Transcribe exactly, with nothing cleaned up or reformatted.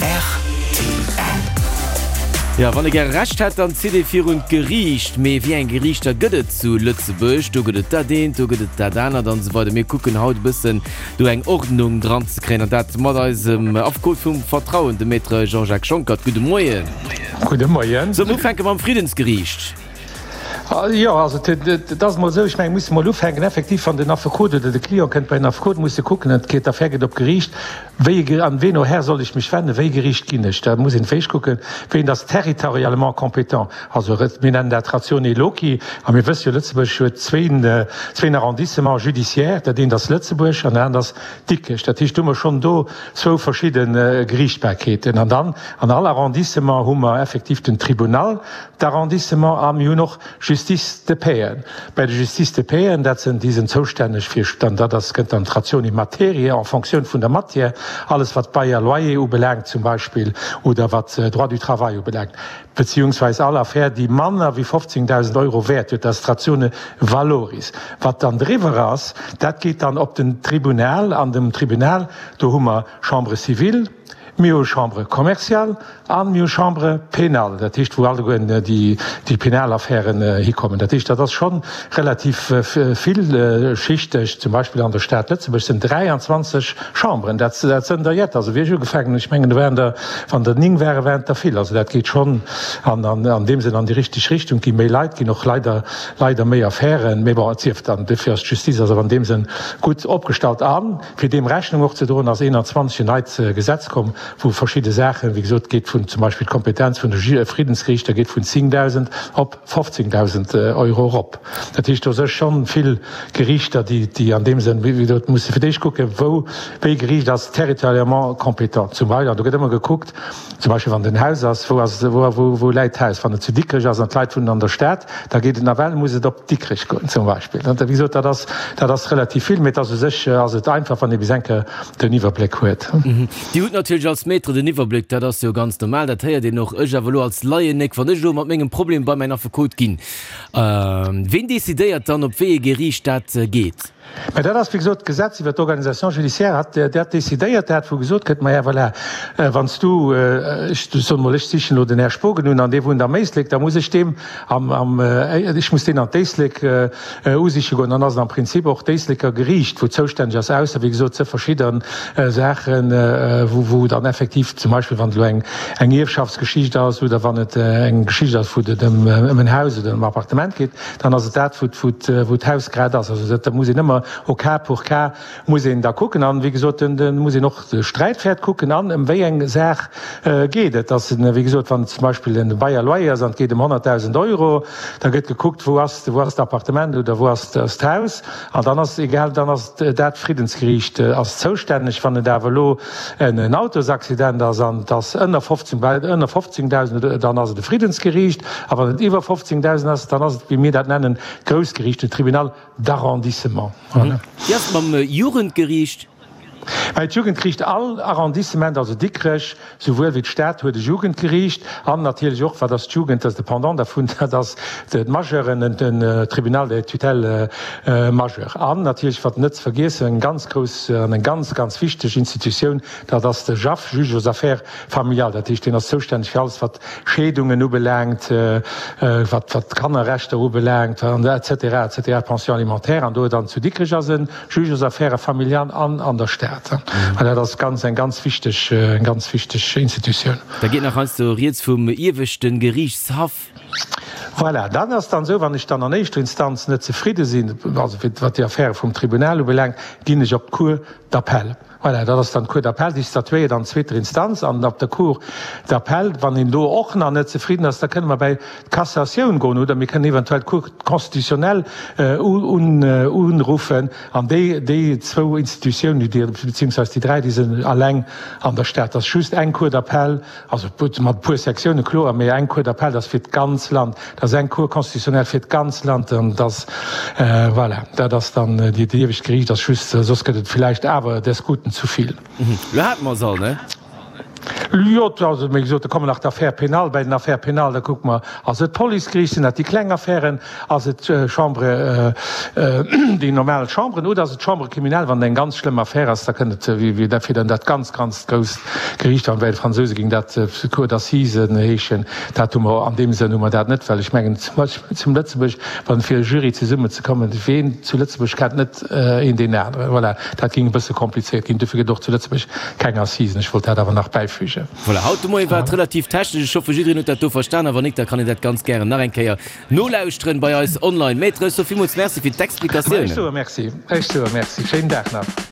Rtl. Jo, wann ee gäre Recht hätt, dann zitt ee virun d'Geriicht. Mee wéi eng Geriichter gëtt et zu Lëtzebuerg? Do gëtt et dat eent, do gëtt et dat anert an esou weider. Mir kucken haut e bëssen do eng Ordnung dran ze kréien an dat mat eisem Affekot vum Vertrauen, dem Maître Jean-Jacques Schonckert. Gudde Moien. Gudde Moien. Solle mer ufänke mam Friddensgeriicht? Jo, also et ass emol esou, ech mengen, musse mol ufänken, effektiv, wann den Affekot oder de Client kënnt bei den Affekot, muss e kucken, et geet, d'Affär geet op d'Geriicht, wéi e, an ween Här soll ech mech wenden, wéi e Geriicht ginn ech? Da muss een d'éischt kucken, ween ass territorialement compétent, also mir nennen dat ratione loci, a mir wësse jo, Lëtzebuerg huet zwéin, zwéin Arrondissements judiciaires, dat eent ass Lëtzebuerg an dat anert ass Dikrech. Dat heescht, do hu mer schonn do zwou verschidde Geriichtbarkeeten. An dann an all Arrondissement hu mer effektiv den Tribunal d'arrondissement a mir hunn och Justice de paixen. Bei de Justice de paixen, dat sinn, déi sinn zoustänneg fir, dann dat ass, gëtt dann d'Ratione materiae en fonction vun der Matière, alles wat Bail a Loyer ubelaangt zum Beispill oder wat Droit du travail ubelaangt, beziehungsweise all Affär, déi manner wéi fofzéngdausend Euro Wäert huet, dat ass d'Ratione valoris. Wat dann driwwer ass, dat geet dann op den Tribunal. An dem Tribunal, do hu mer Chambre civile, mir hu Chambre commerciale a mir hu Chambre pénale, dat heescht, wou allegueren déi penal Affären hikommen. Dat heescht, dat ass scho relativ villschichteg. Zum Beispill an der Stad Lëtzebuerg sinn dräianzwanzeg Chamberen. Dat sënn der jett. Also wéi ech ugefaangen hunn, ech mengen, do waren der, wann der néng waren, waren et der vill. Also dat geet schonn an deem Sënn an déi richteg Richtung. Et gi méi Leit, ginn och leider, leider méi Affären. Mee bon, et sief dann, dofir ass d'Justiz also an deem Sënn gutt opgestallt. A fir deem Rechnung och ze droen, ass eenanzwanzeg en neit Gesetz komm, wou verschidde Saachen, wéi gesot, geet vun zum Beispill d'Kompetenz vun de Friddensgeriichter geet vun zéngdausend op fofzéngdausend Euro erop. Dat heescht, do si schonn vill Geriichter, déi, déi an deem Sënn, wéi gesot, musse fir d'éischt kucken, wou, wéi e Geriicht ass territorialement compétent. Zum Beispill, an do gëtt ëmmer gekuckt, zum Beispill wann et en Haus ass, wou ass, wou, wou, wou läit d'Haus? Wann et zu Dikrech ass an d'Leit wunnen an der Stad, da geet et nawell, muss et op Dikrech goen zum Beispill. Wéi gesot, dat ass, dat ass relativ vill, mee et ass u sech ass et einfach, wann ee bis eng Kéier den Iwwerbléck huet. Dir hutt natierlech als Maître den Iwwerbléck, dat ass jo ganz normal, dat héiert een och. Ech awer elo als Laienéck, wann ech elo mat mengem Problem bei mäin Affekot ginn, ween decidéiert dann, op wéi ee Geriicht dat geet? Mä dat ass, wéi gesot, d'Gesetz iwwert d'Organisation judiciaire hat dat decidéiert, dat wou gesot gëtt, maja voilà, wann s du, ech soen emol, ech sichen elo den Här Spogen un an dee wunnt am Éislek, da muss ech deem am, am, ech muss deen an d'Éislek usiche goen, dann ass et am Prinzip och d'Éisleker Geriicht, wou zoustänneg ass, ausser, wéi gesot, ze verschidde Saachen, wou, wou dann effektiv zum Beispill, wann et elo eng, eng Ierfschaftsgeschicht ass oder wann et eng Geschicht ass, wou et ëm, ëm en Haus oder ëm e Appartement geet, dann ass et dat, wou, wou, wou d'Haus grad ass. Also dat, da muss een ëmmer au cas pour cas muss een da kucken. An, wéi gesot, den, den muss een och de Sträitwäert kucken an ëm wéi eng Saach geet et. Ass en, wéi gesot, wann et zum Beispill en Bail à loyer ass an et geet ëm honnertdausend Euro, da gëtt gekuckt, wou ass, wou ass d'Appartement oder wou ass d'Haus. An dann ass egal, dann ass dat Friddensgeriicht ass zoustänneg. Wann et awer elo en Autosaccident ass an et ass ënner fofzéng, bei ënner fofzéngdausend, dann ass et e Friddensgeriicht. A wann et iwwer fofzéngdausend ass, dann ass et, wéi mir dat nennen, d'Groussgeriicht, den Tribunal d'arrondissement. Voilà. Wéi ass et mam Jugendgeriicht? Mä d'Jugendgeriicht, all Arrondissement, also Dikrech souwuel wéi d'Stad huet e Jugendgeriicht an natierlech och, wat ass d'Jugend, dat ass de Pendant dervun, dat ass d'Majeuren, den Tribunal des tutelles majeures. An natierlech, wat net ze vergiessen, eng ganz grouss an eng ganz, ganz wichteg Institutioun, dat ass de JAF, Juge aux affaires familiales. Dat heescht, deen ass zoustänneg fir alles, wat Scheedungen ubelaangt, wat d'Kannerrechter ubelaangt, et cetera, et cetera, d'Pension alimentaire. An do dann zu Dikrech ass e Juge aux affaires familiales an an der Stad. An dat ass ganz, eng ganz wichteg, eng ganz wichteg Institutioun. Da geet nach heiansdo rieds vum ieweschte Geriichtshaff. Voilà, dann ass dann esou, wann ech dann an éischter Instanz net zefridde sinn, also wat déi Affäre vum Tribunal ubelaangt, ginn ech op d'Cour d'appel. Voilà, dat ass dann d'Cour d'appel, déi statuéiert an zweeter Instanz. An op der Cour d'appel, wann een do och nach net zefridden ass, da kënne mer bäi d'Cassatioun goen oder mir kënnen eventuell d'Cour constitutionnelle unruffen. An déi, déi zwou Institutiounen, déi, beziehungsweise déi dräi, déi sinn alleng an der Stad. Dat ass just eng Cour d'appel, also mat e puer Sektiounen, kloer, mee eng Cour d'appel, dat ass fir d'ganz Land. Dat ass eng Cour constitutionnelle fir d'ganz Land. An dat, voilà, dat ass dann déi, déi iewescht Geriicht ass just, soss gëtt et villäicht awer des Guten zu vill. Lo hate mer se all, ne? Jo, also wéi gesot, da kommen nach d'Affaires pénales. Bei den Affaires pénales, da kucke mer, ass et d'Policegeriicht, sinn dat déi kleng Affären, ass et d'Chambre, déi normal Chambren oder ass et d'Chambre criminelle, wann et eng ganz schlëmm Affär ass, da kënnt et, wéi dat fir dann dat ganz, ganz grousst Geriicht an bei de Fransouse géing dat Cour d'assises heeschen. Dat hu mer an deem Sënn hu mer dat net, well ech mengen zum Beispill zum Lëtzebuerg, wann fir e Jury zesummenzekommen, ween zu Lëtzebuerg kennt net een deen aneren. Voilà, dat géing e bësse komplizéiert ginn. Dofir gëtt och zu Lëtzebuerg keng Assisen. Ech wollt dat awer nach bäifügen. Voilà, haut de Moie war et relativ technesch. Ech hoffe jiddereen huet dat do verstan a wann nik, da kann een dat ganz gären nach eng Kéier nolauschteren bei eis online. Maître, ech soe villmools Merci fir d'Explikatiounen. Ech soe Merci, ech soe Merci. Schéinen Dag nach.